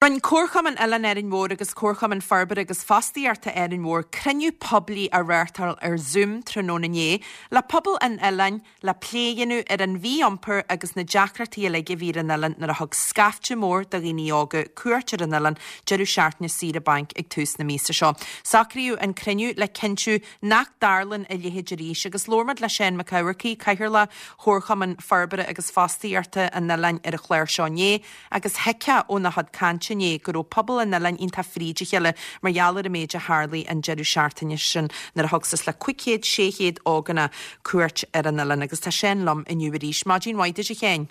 Rinne Comharchumann Oileán Árainn Mhór agus Comharchumann Forbartha agus Fostaíochta Árainn Mhór cruinniú poiblí a reáchtáil ar Zoom tráthnóna inné le pobal an oileáin le plé a dhéanamh ar an mhí-iompar agus na deacrachtaí uilig a bhí ar an oileán nuair a thug scaifte mór de dhaoine óga cuairt ar an oileán deireadh seachtaine saoire bainc ag tús na míosa seo. Socraíodh an cruinniú le cinntiú nach dtarlaíonn a leithéid arís agus labhair muid le Seán Mac Eamharcaigh, Cathaoirleach Chomharchumann Forbartha agus Fostaíochta an oileáin ar an chlár seo inné. Agus thuigfeá óna chuid cainte inné go raibh pobal an oileáin iontach fríd a chéile mar gheall ar an méid a tharlaigh an deireadh seachtaine sin nuair a thug suas le 500, 600 ógánach cuairt ar an oileán. Agus tá Seán liom inniu arís. Maidin mhaith duit a Sheáin.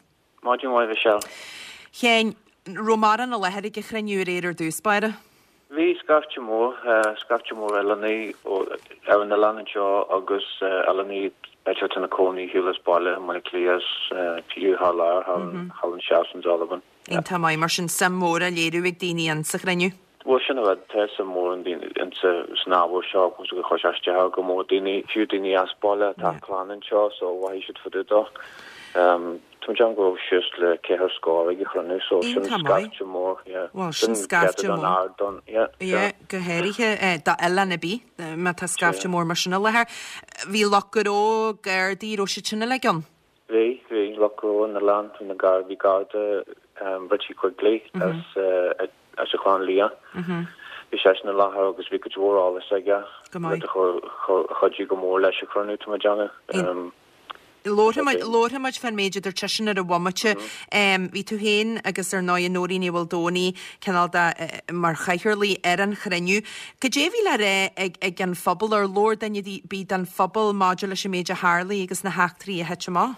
Maidin mhaith Michelle. Sheáin, raibh mórán i láthair ag an chruinniú aréir ar dtús báire? Bhí scaifte mór, scaifte mór oileánaigh ar an oileán anseo agus oileánaigh b'fhéidir atá ina cónaí shiúl as baile i mBaile Átha Cliath is fiú thar lear, thall anseo in Albain. Iontach maith, mar sin suim mhór á léiriú ag daoine in sa chruinniú. Bhuel sin an rud, tá suim mhór in san ábhar seo agus gur chuir sé isteach ar go mór daoine, fiú daoine as baile atá clann anseo so mhothaigh siad fá dtaobh dó. Tá mé ag déanamh go raibh suas le ceithre scór ag an chruinniú so sin Iontach maith. scaifte mór, yeah. Bhuel, sin Sin scaifte céatadán mór. ard don, yeah, Yeah, sure. go háirithe d'oileán ar bith, má tá scaifte Sure. mór mar sin i láthair. Bhí lucht gnó, Gardaí, raibh siad sin uilig ann? Bhí, bhí, lucht gnó an oileáin, bhí na gar, bhí Garda Richie Quigley as as an Chlochán Liath. Bhí seisean i láthair agus bhí cuid mhór eolais aige, Go maith. rud a chuir, a chuidigh go mór leis an chruinniú, tá mé ag déanamh. Labharfaidh muid fán méid a dúirt seisean ar an bhomaite. Bhí tú féin agus ar ndóigh Nóirín Ní Mhaoldomhnaigh cineál de mar chathaoirligh ar an chruinniú. Cad é a bhí le rá ag ag an phobal ar labhair duine ar bith den phobal maidir leis an méid a tharlaigh agus na heachtraí a thit amach?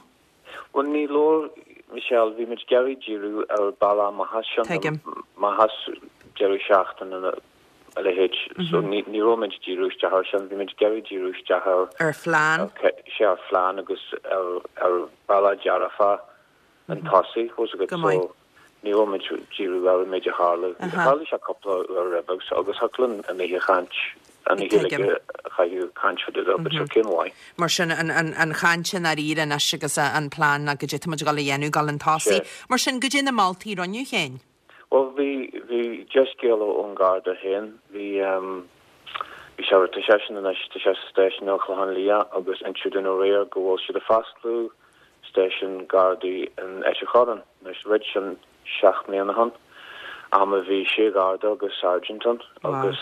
Bhuel ní labhair Michelle, bhí muid ag iarraidh díriú ar bealach amach as sin, Tuigim. amach as deireadh seachtaine na a leithéid. So ní ní raibh muid ag díriú isteach ar sin, bhí muid ag iarraidh díriú isteach ar Ar phlean. sea ar phlean agus ar ar bhealach dearfach chun tosaigh, bhfuil a fhios agat. Go maith. So ní raibh muid ag díriú ar an méid a tharla. Tharla sé cúpla uair roimhe agus agus thiocfadh linn an oíche chaint an oíche uilig Tuigim. a chaitheamh caint fá dtaobh de but sure cén mhaith. Mar sin an an an chaint i ndáiríre anois agus an plean ná goidé tá muid ag dul a dhéanamh, dul chun tosaigh. Sea. Mar sin goidé na moltaí a rinneadh féin? Bhuel, bhí, bhí dea-scéala ón Gharda féin. Bhí, bhí sé, tá seisean anois, tá sé sa stáisiún ar an Chlochán Liath agus inseadh dúinn aréir go bhfuil siad ag fosclú stáisiún Gardaí in Ailt an Chorráin. Anois, roimh sin, 7 mbliana ó shin, am a bhí sé Gharda agus Sergeant ann agus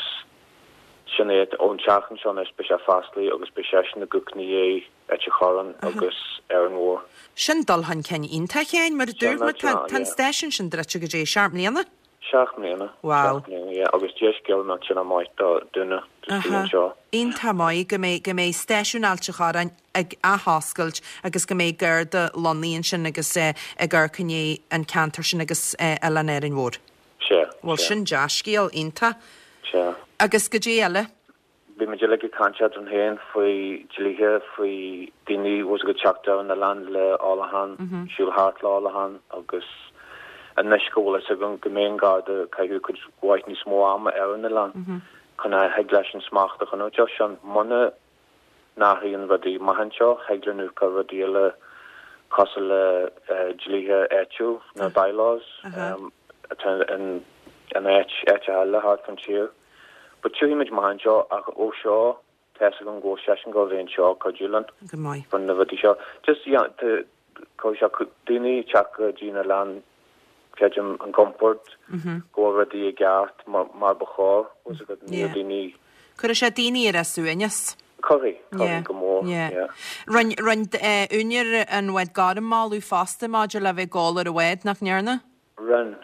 sin é, ón tseachtain seo anois beidh sé fosclaithe agus beidh seisean ag amharc ina dhiaidh Ailt an Chorráin agus Árainn Mhór. Sin dul chun cinn iontach, a Sheáin, mar a dúirt mé, tá an stáisiún sin druidte goidé, seacht mbliana? Seacht mbliana, Wow. seacht mbliana, yeah, agus dea-scéal nach sin maith do dhuine istigh anseo. Iontach maith go mbeidh, go mbeidh stáisiún Ailt an Chorráin ag athoscailt agus go mbeidh Garda lonnaithe ansin agus ag amharc i ndiaidh an ceantar sin agus Oileán Árainn Mhór. Sea, Bhuel, sea. sin dea-scéal, iontach. Sea. Agus goidé eile? Bhí muid uilig ag caint eadrainn féin faoi dlíthe, faoi daoine bhfuil a fhios agat teacht ar an oileán le ólachán, siúl thart le ólachán agus anois go bhfuil fhios againn go mbeidh an Garda ag caitheamh cuid mhaith níos mó ama ar an oileán chun a thig leis an smacht a choinneáil air sin. Muna n-athraíonn rudaí amach anseo, thig linn amharc ar rudaí eile cosúil le dlíthe áitiúil, na bylaws, atá in áit, áiteacha eile thart fán tír. But tiocfaidh muid amach anseo ach ó seo tá fhios agam go bhfuil seisean ag gabháil a bheith anseo ag cuidiú linn Go maith. faoi na rudaí seo. Just yeah tá cuirfidh sé daoine ag teacht go dtí an oileán creidim an gcompord go bhfuil rudaí i gceart mar mar ba chóir bhfuil fhios agat níl Yeah. daoine Cuirfidh sé daoine ar a suaimhneas. Cuirfidh, Yeah, cuirfidh go mór, yeah. yeah. Rinne, rinne eh, úinéir an bháid gorm moladh fosta maidir le bheith ag ól ar an bhád, nach ndearna? Rinne.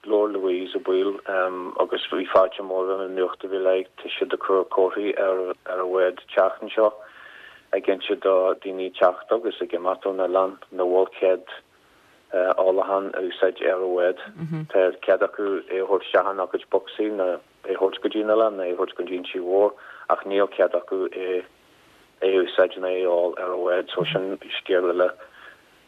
Labhair Louise Ó Baoill agus bhí fáilte mór roimh an nuacht a bhí léi. Tá siad ag cur comharthaí ar an bhád an tseachtain seo ag inse do daoine ag teacht agus ag imeacht ón oileán nach bhfuil cead ólachán a úsáid ar an bhád. Tá cead acu é a thabhairt isteach ina gcuid bocsaí nó é a thabhairt go dtí an oileán nó é a thabhairt go dtí an Tí Mhór ach níl cead acu é a úsáid nó é a ól ar an bhád so sin scéal eile.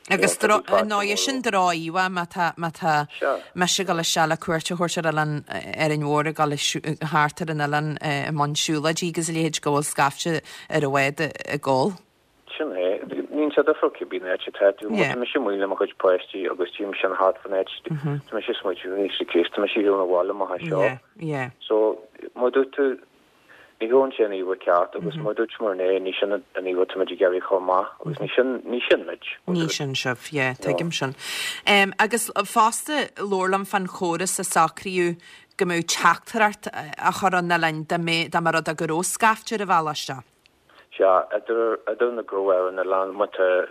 Agus ar ndóigh sin droch-íomhá má tá, má tá mise ag dul isteach le cuairt a thabhairt ar oileán Árainn Mhór ag dul thart ar an oileán i mbun siúlóidí agus a leithéid go bhfuil scaifte ar an bhád ag ól. Sin é. Ní. Bíonn sé difriúil cibé áit atá tú. Má tá mise amuigh le mo chuid páistí agus tchím sin thart fan áit, tá mise ag smaoitiú níos céist, tá mise ar shiúl 'na bhaile amach anseo. So, mar dúirt tú, ní thugann sé an íomha ceart agus mar dúirt muid inné, ní sin an íomha atá muid ag iarraidh chomh maith agus ní sin, ní sin muid. Ní sin sibh, yeah, tuigim sin. Agus fosta, labhair liom fán chóras a socraíodh go mbeadh teachtaireacht á chur chun an oileáin dá mba rud é go raibh scaifte ar an bhealach isteach. Sea, idir, idir na gnó ar an oileán, má tá,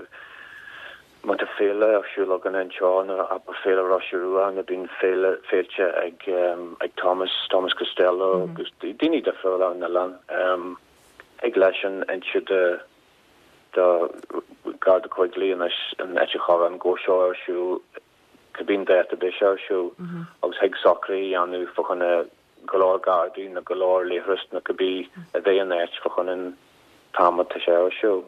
má tá féile ar siúl againn anseo, nó abair Féile Rois Rua, nó bíonn féile, féilte ag, ag Thomas, Thomas Costello agus daoine difriúla ar an oileán, thig leisean inse do, do Garda Quigley anois in Ailt an Chorráin go bhfuil seo ar siúl, cibé an dáta a beidh sé ar siúl, agus thig socruithe a dhéanamh fá choinne go leor gardaí nó go leor leithreas nó cibé a bheidh in áit fá choinne an t-am atá sé ar siúl.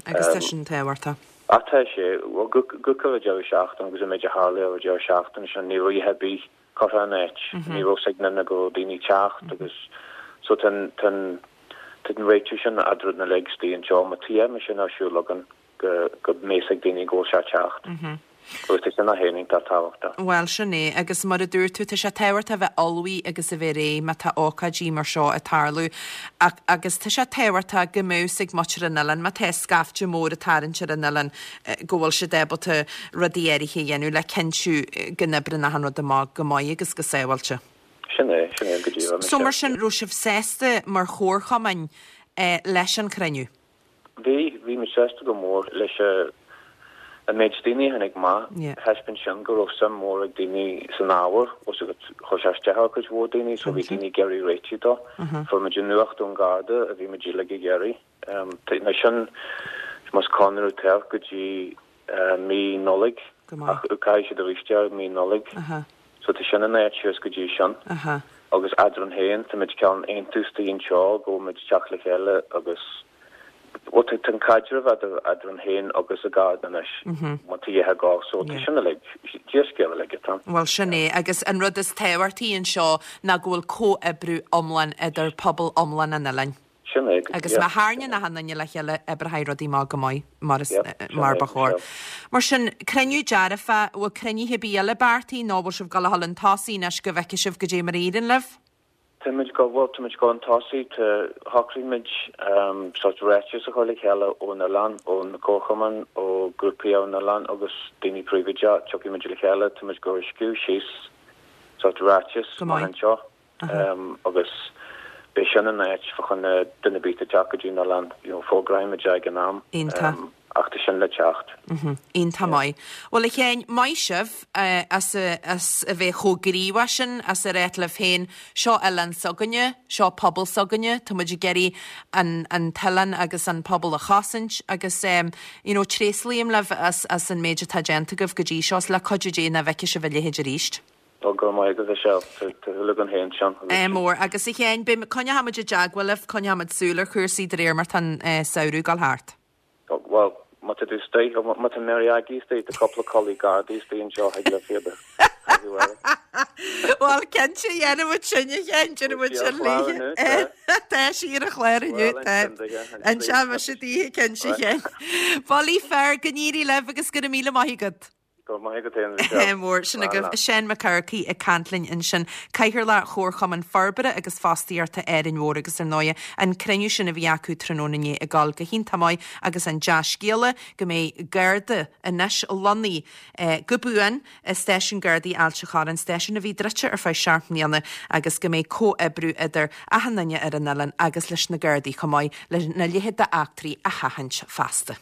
Agus tá sin tábhachtach. Ach tá sé, bhuel, go ar an deireadh seachtaine agus an méid a tharla ar an deireadh seachtaine sin, ní raibh a dhath ar bith curtha in áit, ní raibh fhios ag aon duine go raibh daoine ag teacht agus so tá an, tá an, tá an réiteach sin eadrainn uilig istigh anseo, má tá a dhath mar sin ar siúl againn. go mbeidh fhios ag daoine go bhfuil sé ag teacht. Agus tá sin féin iontach tábhachtach. Bhuel, sin é. Agus mar a dúirt tú, tá sé tábhachtach a bheith ullmhaithe agus a bheith réidh má tá ócáidí mar seo ag tarlú. Ach, agus tá sé tábhachtach go mbeadh fhios ag muintir an oileáin, má tá scaifte mór ag tarraingt ar an oileán, go bhfuil siad ábalta rudaí áirithe a dhéanamh le cinntiú go n-oibreann achan rud amach go maith agus go sábháilte. Sin é, sin é go díreach. So mar sin, raibh sibh sásta mar chomharchumainn leis an chruinniú? Bhí, bhí muid sásta go mór leis an méid daoine a tháinig amach. Thaispeáin sin go raibh suim mhór ag daoine san ábhar, bhfuil fhios agat, chuir sé isteach ar chuid mhór daoine so bhí daoine ag iarraidh réitigh dó. Fuair muid an nuacht ón Gharda a bhí muid uilig ag iarraidh. Nó sin, más conradh atá go dtí mí Nollaig, ach caithfidh siad arís é mí Nollaig. So tá sin in áit suas go dtí sin. Agus eadrainn féin, tá muid cineál aontú istigh anseo go bhfuil muid ag teacht le chéile agus, bhuel tá an caidreamh eadar eadrainn féin agus an Garda anois, má tá a dhath ag gabháil, so tá sin uilig, dea-scéal uilig atá ann. Bhuel sin é, agus an rud is tábhachtaí anseo ná go bhfuil comhoibriú iomlán idir pobal iomlán an oileáin. Sin é go Agus má tharraingíonn achan duine le chéile, oibreoidh rudaí amach go maith, mar is, mar ba chóir. Mar sin, cruinniú dearfa, bhfuil cruinnithe ar bith eile beartaithe nó bhfuil sibh ag dul a dhul chun tosaigh anois go bhfeicfidh sibh goidé mar a éiríonn libh? Táimid go, bhuel, táimid ag dul chun tosaigh, tá, shocraigh muid sórt ráiteas a chur le chéile ón oileán, ó na comharchumainn, ó grúpaí ar an oileán agus daoine príobháideach, tiocfaidh muid le chéile, táimid ag dul a scríobh síos sórt ráiteas amach anseo. agus beidh sin in áit fá choinne duine ar bith atá ag teacht go dtí an oileán, you know, fógróidh muid é ag an am, ach tá sin le teacht. Iontach maith. Bhuel, a Sheáin, maith sibh as as a bheith chomh gníomhach sin, as a ráit libh féin, seo oileán s'againne, seo pobal s'againne, tá muid ag iarraidh an an t-oileán agus an pobal a chosaint agus you know, tréaslaím libh as as an méid atá déanta agaibh go dtí seo, is le cuidiú Dé nach bhfeicfidh sibh a leithéid arís. Ó, go raibh maith agat, a Mhichelle. Tá súil againn féin, Seán. Ádh mór. Agus a Sheáin, beidh, coinneoidh muid i dteagmháil libh, coinneoidh muid súil ar chúrsaí de réir mar tá an samhradh ag dul thart. Bhuel, má tá tú istigh, má tá Mary Aggie istigh, tá cúpla culaith Gardaí istigh anseo, thig libh iad a chaitheamh uirthi. Bhuel, cinnte, dhéanfaidh muid sin, a Sheáin, déanfaidh muid sin léi. Tá sí ar an chlár inniu, tá. Inseoidh mise daoithe, cinnte, a Sheáin. Bulaí fear, go n-éirí libh agus go raibh míle maith agat. Go raibh maith agat féin, Michelle. Mór. Sin agaibh Seán Mac Eachmharcaigh ag caint linn ansin, Cathaoirleach Chomharchumann Forbartha agus Fostaíochta Árainn Mhór agus ar ndóighe an cruinniú sin a bhí acu tráthnóna inné ag dul go hiontach maith agus an dea-scéala go mbeidh Garda anois lonnaithe go buan i Stáisiún Gardaí Ailt an Chorráin, stáisiún a bhí druidte ar feadh seacht mbliana agus go mbeidh comhoibriú idir achan duine ar an oileán agus leis na Gardaí chomh maith lena leithéid d'eachtraí a sheachaint feasta.